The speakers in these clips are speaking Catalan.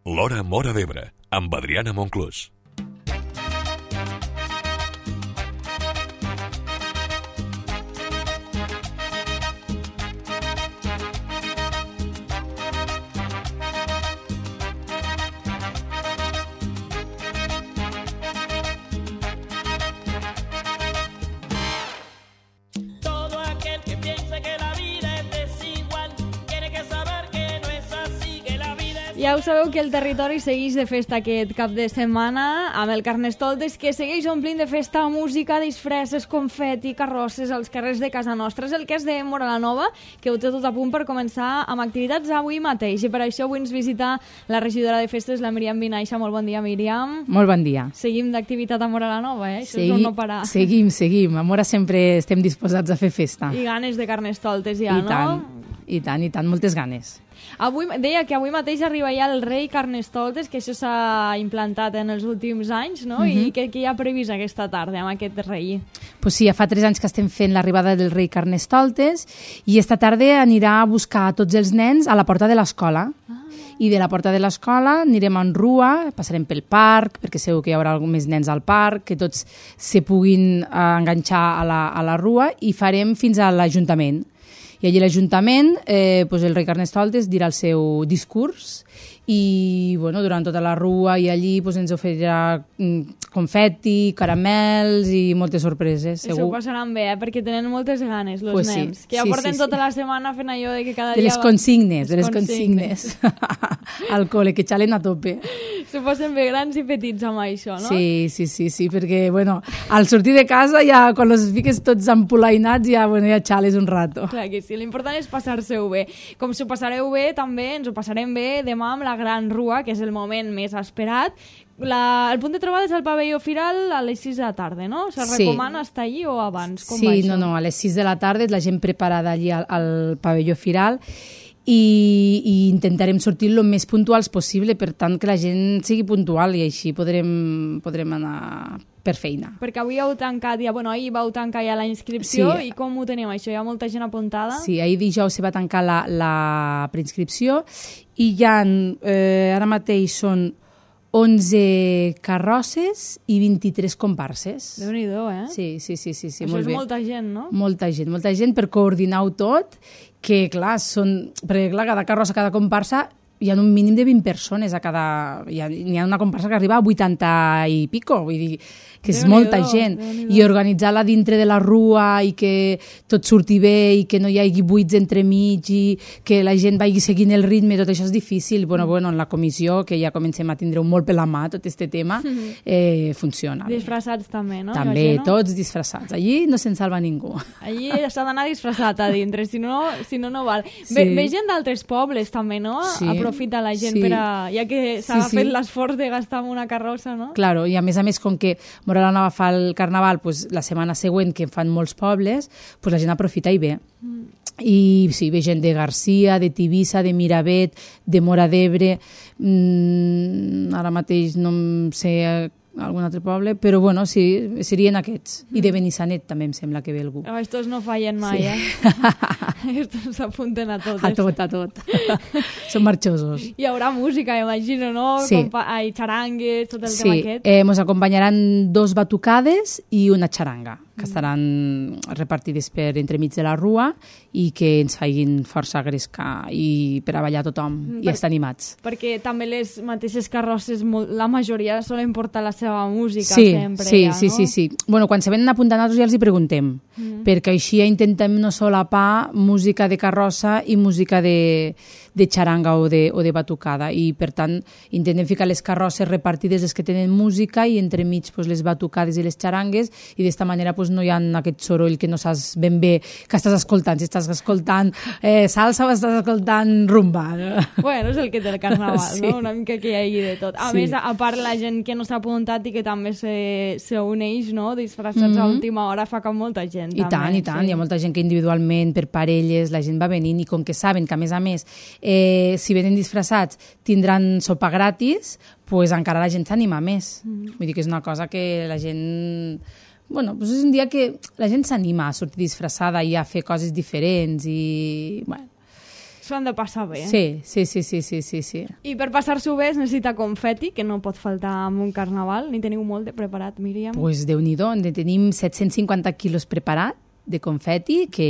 L'Hora Móra d'Ebre, amb Adriana Monclús. Ja ho sabeu que el territori segueix de festa aquest cap de setmana amb el Carnestoltes, que segueix omplint de festa música, disfresses, confeti, carrosses als carrers de casa nostra. És el cas de Móra la Nova, que ho té tot a punt per començar amb activitats avui mateix. I per això avui ens visita la regidora de festes, la Míriam Vinaixa. Molt bon dia, Míriam. Molt bon dia. Seguim d'activitat a Móra la Nova, eh? Això és un no parar. Seguim. A Móra sempre estem disposats a fer festa. I ganes de Carnestoltes ja, no? I tant, moltes ganes. Avui, deia que avui mateix arriba ja el rei Carnestoltes, que això s'ha implantat en els últims anys, no? I què hi ha previst aquesta tarda amb aquest rei? Pues sí, ja fa 3 anys que estem fent l'arribada del rei Carnestoltes i esta tarda anirà a buscar a tots els nens a la porta de l'escola. I de la porta de l'escola anirem en rua, passarem pel parc, perquè segur que hi haurà més nens al parc, que tots se puguin enganxar a la rua, i farem fins a l'Ajuntament. I allí a l'Ajuntament el rei Carnestoltes dirà el seu discurs i durant tota la rua i allí ens oferirà confeti, caramels i moltes sorpreses, segur. S'ho passaran bé, perquè tenen moltes ganes, els nens, que ja porten tota la setmana fent allò de que cada dia... De les consignes. Al col·le, que xalen a tope. S'ho passen bé grans i petits amb això, no? Sí, perquè, al sortir de casa, ja, quan els fiques tots empolainats, ja xales un rato. Clar que sí, l'important és passar-se-ho bé. Com s'ho passareu bé, també ens ho passarem bé demà amb la Gran Rua, que és el moment més esperat. El punt de trobada és el pavelló Firal a les 6 de la tarda, no? Se recomana estar allí o abans? Com va això? No, a les 6 de la tarda la gent preparada allí al pavelló Firal i intentarem sortir el més puntuals possible, per tant que la gent sigui puntual i així podrem anar per feina. Perquè avui heu tancat, ahir vau tancar ja la inscripció, i com ho teniu això? Hi ha molta gent apuntada? Sí, ahir dijous se va tancar la preinscripció i hi ha, ara mateix són 11 carrosses i 23 comparses. Déu-n'hi-do, eh? Sí, això molt bé. És molta gent, no? Molta gent per coordinar-ho tot, que clar, perquè cada carrossa, cada comparsa, hi ha un mínim de 20 persones a cada... N'hi ha una comparsa que arriba a 80 i pico, vull dir que és molta gent. I organitzar-la dintre de la rua i que tot surti bé i que no hi hagi buits entremig i que la gent vagi seguint el ritme, tot això és difícil. En la comissió, que ja comencem a tindre molt per la mà tot aquest tema, funciona. Disfressats també, no? També, tots disfressats. Allí no se'n salva ningú. Allí s'ha d'anar disfressat a dintre, si no val. Ve gent d'altres pobles també, no? Aprofita la gent ja que s'ha fet l'esforç de gastar en una carrossa, no? Claro, i a més, com que Móra la Nova fa el Carnaval la setmana següent, que fan molts pobles, la gent aprofita i ve. I sí, ve gent de Garcia, de Tivissa, de Miravet, de Móra d'Ebre, ara mateix no sé algun altre poble, però sí, serien aquests. I de Benissanet també em sembla que ve algú. Estos no fallen mai, Estos s'apunten a tot. A tot. Són marxosos. Hi haurà música, imagino, no? Sí. Xarangues, tot el tema aquest. Sí, ens acompanyaran 2 batucades i una xaranga, que estaran repartides per entremig de la rua i que ens facin força gresca i per a ballar tothom i estar animats. Perquè també les mateixes carrosses, la majoria solen portar la seva música sempre. Sí. Quan se venen apuntant nosaltres ja els hi preguntem, perquè així ja intentem no solapar música de carrossa i música de xaranga o de batucada, i per tant intentem ficar les carrosses repartides, les que tenen música, i entremig les batucades i les xarangues, i d'esta manera no hi ha aquest soroll que no saps ben bé que estàs escoltant, si estàs escoltant salsa o estàs escoltant rumba. És el que té el Carnaval, no? Una mica que hi hagi de tot. A més, a part la gent que no s'ha apuntat i que també s'uneix, no? Disfressats a última hora, fa que molta gent. I tant, hi ha molta gent que individualment, per parelles, la gent va venint, i com que saben que a més si venen disfressats tindran sopa gratis, encara la gent s'anima més. Vull dir que és una cosa que la gent... és un dia que la gent s'anima a sortir disfressada i a fer coses diferents i... s'ho han de passar bé. Sí. I per passar-s'ho bé es necessita confeti, que no pot faltar en un carnaval. Ni teniu molt de preparat, Míriam? Pues Déu-n'hi-do, tenim 750 quilos preparat de confeti, que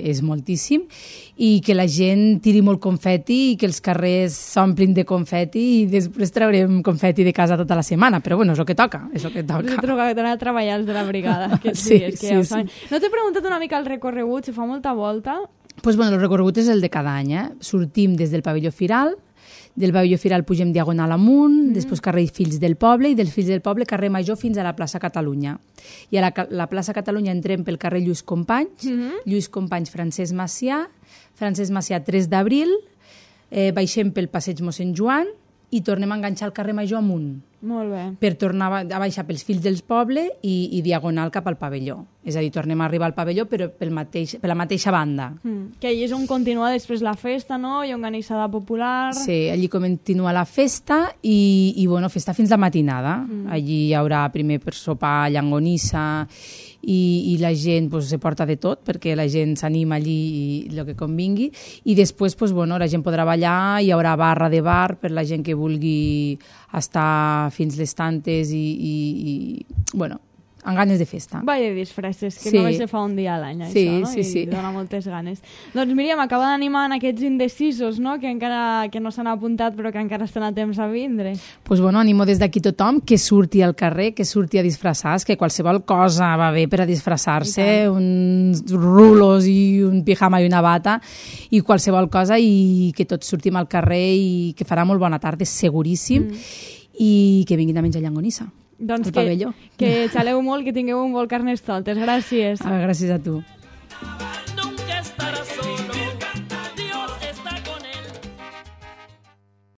és moltíssim, i que la gent tiri molt confeti i que els carrers s'omplin de confeti i després traurem confeti de casa tota la setmana, però bueno, és el que toca, és el que toca. Us he trobat a treballar els de la brigada aquests dies, que ja ho saben. No t'he preguntat una mica el recorregut, si fa molta volta? Pues bueno, el recorregut és el de cada any, Sortim des del pavelló Firal, del pavelló Firal pugem diagonal amunt, després carrer Fills del Poble, i dels Fills del Poble carrer Major fins a la plaça Catalunya. I a la plaça Catalunya entrem pel carrer Lluís Companys, Lluís Companys Francesc Macià 3 d'abril, baixem pel passeig Mossèn Joan i tornem a enganxar el carrer Major amunt. Molt bé. Per tornar a baixar pels Fills del Poble i diagonal cap al pavelló. És a dir, tornem a arribar al pavelló però per la mateixa banda. Que allí és on continua després la festa, no? Hi ha organitzada popular. Sí, allí continua la festa i bueno, festa fins la matinada. Allí hi haurà primer per sopar llangonissa i la gent pues, se porta de tot perquè la gent s'anima allí i el que convingui. I després pues, bueno, la gent podrà ballar, hi haurà barra de bar per la gent que vulgui estar fins les tantes i bueno, amb ganes de festa. Vaya disfresses, que només se fa un dia a l'any, això, no? Sí. I dona moltes ganes. Doncs Míriam, acaba d'animar en aquests indecisos, no? Que encara que no s'han apuntat però que encara estan a temps a vindre. Pues bueno, animo des d'aquí tothom que surti al carrer, que surti a disfressar-se, que qualsevol cosa va bé per a disfressar-se, uns rulos i un pijama i una bata i qualsevol cosa, i que tots sortim al carrer i que farà molt bona tarda, seguríssim, i que vinguin a menjar llangonissa. Doncs que xaleu molt, que tingueu un bon Carnestoltes. Gràcies. Gràcies a tu.